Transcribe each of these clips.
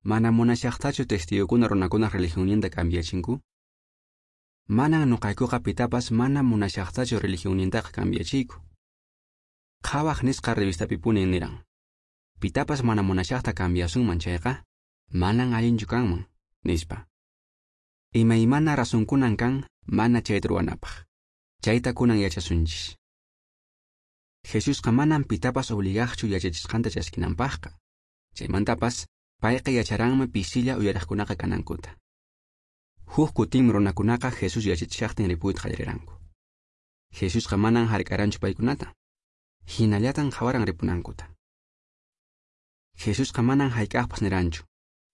Mana munashaqtachu testigokuna runakunaq religionninta cambiachinku? Manan nuqaykuqa pitapas mana munashaqtachu religionnintaqa cambiachiyku. Qhawaq nisqa revistapipuni niran: Pitapas mana munashaqta cambiasunman chayqa, manan allinchu kanman, nispa. Imaymana razonkunan kan mana chayta ruwanapaq. Chayta kunan yachasunchis. Jesusqa manan pitapas obligaqchu yachachisqanta chaskinanpaqqa. Chaymantapas payqa yacharanmi pisilla uyariqkunaqa kanankuta. Huk kutinmi runakunaqa Jesús yachachishaqtin ripuyta qallariranku. Jesusqa manan hark'aranchu paykunata. Hinallatan qhawaran ripunankuta. Jesusqa manan hayk'aqpas niranchu: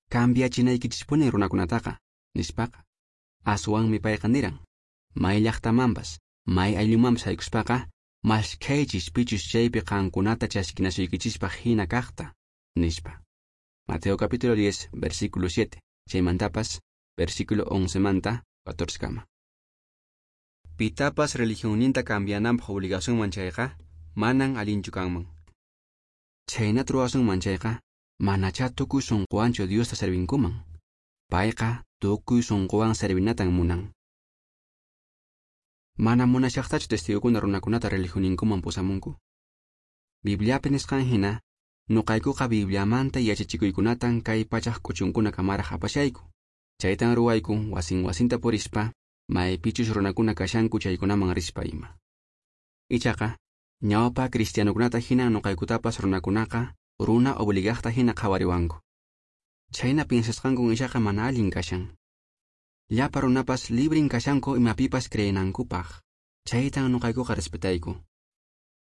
"Cambiachinaykichispuni runakunataqa", nispaqa. Aswanmi payqa niran: "May llaqtamanpas, may ayllumanpas haykuspaqa, maskhaychis pichus chaypi qankunata chaskinasuykichispaq hina kaqta", nispa. Mateo capítulo 10, versículo 7, chaymantapas, versículo 11 manta 14 kama. Pitapas religionninta cambiananpaq obligasunman chayqa, manan allinchu kanman. Chhaynata ruwasunman chayqa, manachá tukuy sunquwanchu Diosta servinkuman. Payqa tukuy sunquwan servinatan munan. Mana munashaqtachu testigokuna runakunata religionninkuman pusamunku. Bibliapi nisqan hina, nuqaykuqa Bibliamanta yachachikuykunatan kay pachaq k'uchunkuna kamaraq apashayku. Chaytan ruwayku wasin wasinta purispa, maypichus runakuna kashanku chaykunaman rispa ima. Ichaqa, ñawpa cristianokunata hina nuqaykutapas runakunaqa runa obligaqta hina qhawariwanku. Chhayna piensasqankun ichaqa mana allin kashan. Llapa runapas librin kashanku imapipas creenankupaq. Chaytan nuqaykuqa respetayku.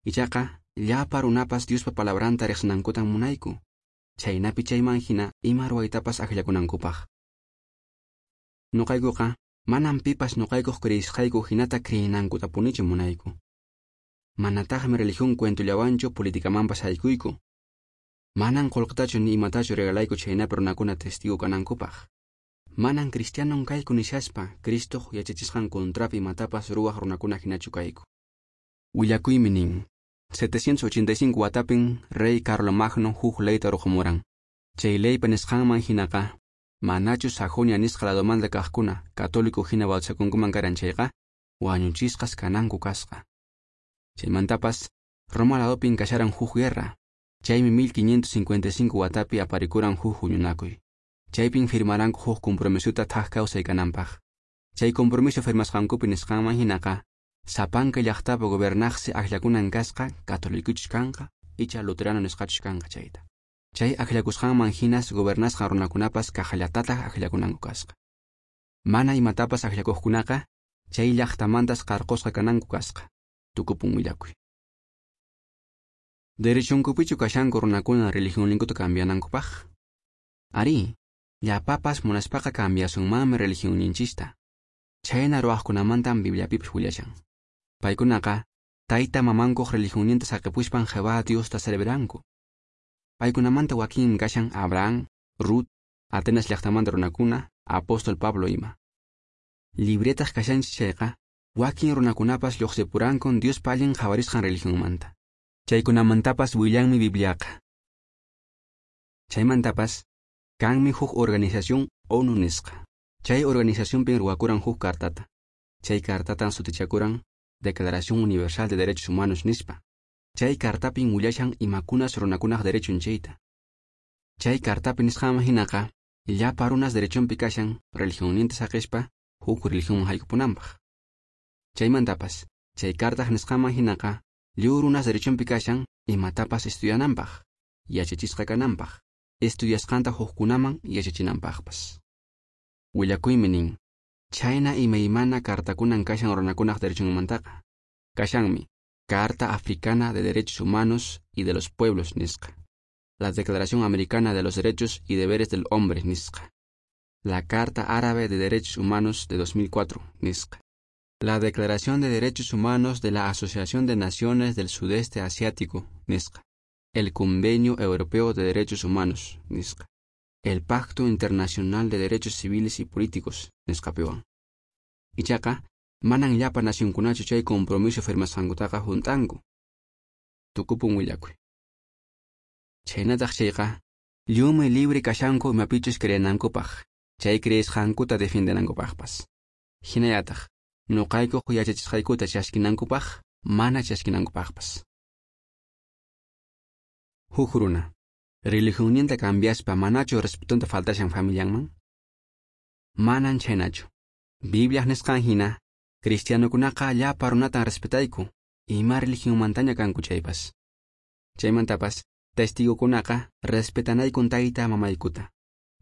Ichaqa, llapa runapas Diospa palabranta riqsinankutan munayku. Chhaynapi chayman hina ima ruwaytapas akllakunankupaq. Nuqaykuqa manan pipas nuqaykuq creisqayku hinata creenankutapunichu munayku. Manataqmi religión cuentollawanchu politicamanpas haykuyku. Manan qullqitachu ni imatachu regalayku chhaynapi runakuna testigo kanankupaq. Manan cristianon kayku nishaspa Cristoq yachachisqan contrapi imatapas ruwaq runakuna hinachu kayku. Willakuymi nin: 785 watapin rey Carlomagno huk leyta ruqumuran. Chay leypa nisqanman hinaqa, manachu Sajonia nisqa ladomanta kaqkuna católico hina bautizakunkuman karan chayqa, wañuchisqas kananku kasqa. Chaymantapas, Roma ladopin kasharan huk guerra. Chaymi 1555 watapi aparikuran huk huñunakuy. Chaypin firmaranku huk compromisota thak kawsay kananpaq. Chay compromiso firmasqankupi nisqanman hinaqa, sapanka llaqtapi gobernaqsi akllakunan kasqa catolicochus kanqa icha luterano nisqachus kanqa chayta. Chay akllakusqanman hinas gobernasqa runakunapas kaqllatataq akllakunanku kasqa. Mana imatapas akllakuqkunaqa chay llaqtamantas qarqusqa kananku kasqa. Tukupun willakuy. Derechonkupichu kashanku runakuna religionninkuta cambianankupaq? Ari, llapapas munaspaqa cambiasunmanmi religionninchista. Chhayna ruwaqkunamantan Bibliapipas willashan. Paykunaqa tayta mamankuq religionninta saqipuspan Jehová Diosta serviranku. Paykunamanta wakin kashan Abraham, Ruth, Atenas llaqtamanta runakuna, apóstol Pablo ima. Libretaq kashanchis chayqa, wakin runakunapas lluqsipurankun Diospa allin qhawarisqan religionmanta. Chaykunamantapas willanmi Bibliaqa. Chaymantapas, kanmi huk organización ONU nisqa. Chay organizacionpin ruwakuran huk cartata. Chay cartatan sutichakuran Declaración Universal de Derechos Humanos nispa. Chay cartapin willashan imakunas runakunaq derechun chayta. Chay cartapi nisqanman hinaqa, llapa runas derechonpi kashan religionninta saqispa huk religionman haykupunanpaq. Chaymantapas, chay cartaq nisqanman hinaqa, lliw runas derechonpi kashan imatapas estudiananpaq, yachachisqa kananpaq, estudiasqanta hukkunaman yachachinanpaqpas. Willakuymi nin: chhayna imaymana cartakunan kashan runakunaq derechunmantaqa. Kashanmi Carta Africana de Derechos Humanos y de los Pueblos nisqa, la Declaración Americana de los Derechos y Deberes del Hombre nisqa, la Carta Árabe de Derechos Humanos de 2004 nisqa, la Declaración de Derechos Humanos de la Asociación de Naciones del Sudeste Asiático nisqa, el Convenio Europeo de Derechos Humanos nisqa, el Pacto Internacional de Derechos Civiles y Políticos nisqapiwan. Ichaqa, manan llapa nacionkunachu chay compromiso firmasqankutaqa hunt'anku. Tukupun willakuy. Chhaynataq chayqa, Lliwmi libre kashanku imapichus creenankupaq, chay creesqankuta defiendenankupaqpas. Hinallataq, nuqaykuq yachachisqaykuta chaskinankupaq, mana chaskinankupaqpas. Huk runa, religionninta cambiaspa manachu respetonta faltashan familianman? Manan chhaynachu. Bibliaq nisqan hina, cristianokunaqa llapa runatan respetayku, ima religionmantaña kanku chaypas. Chaymantapas, testigokunaqa respetanaykun tayta mamaykuta.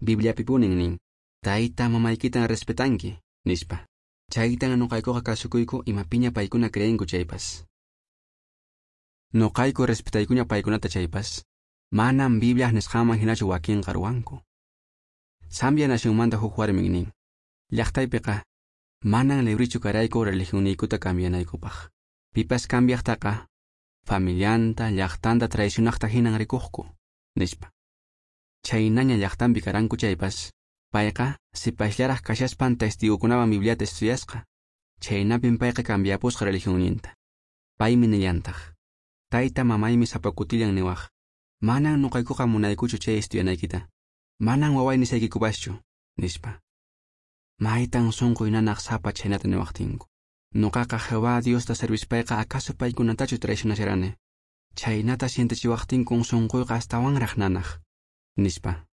Bibliapipunin nin, tayta mamaykitan respetanki, nispa. Chaytan nuqaykuqa kasukuyku imapiña paykuna creenku chaypas. Nuqayku respetaykuña paykunata chaypas, manam Bibliaq nisqanman hinachu wakinqa ruwanku. Zambia nacionmanta huk warmin nin, llaqtaypiqa manan librichu karayku religionniykuta cambianaykupaq. Pipas cambiaqtaqa familianta, llaqtanta traicionaqta hinan rikuqku, nispa. Chhaynaña llaqtanpi karanku chaypas, payqa sipasllaraq kashaspan testigokunawan Bibliata estudiasqa. Chhaynapin payqa cambiapusqa religionninta. Paymi nillantaq, tayta mamaymi sapa kutillan niwaq, manan nuqaykuqa munaykuchu chay estudianaykita, manan waway nisaykikupaschu, nispa. Maytan sunquy nanaq sapa chhaynata niwaqtinku. Nuqaqa Jehová Diosta servispayqa acaso paykunatachu traicionasharani. Chhaynata sientechiwaqtinkun sunquyqa astawanraq nanaq, nispa.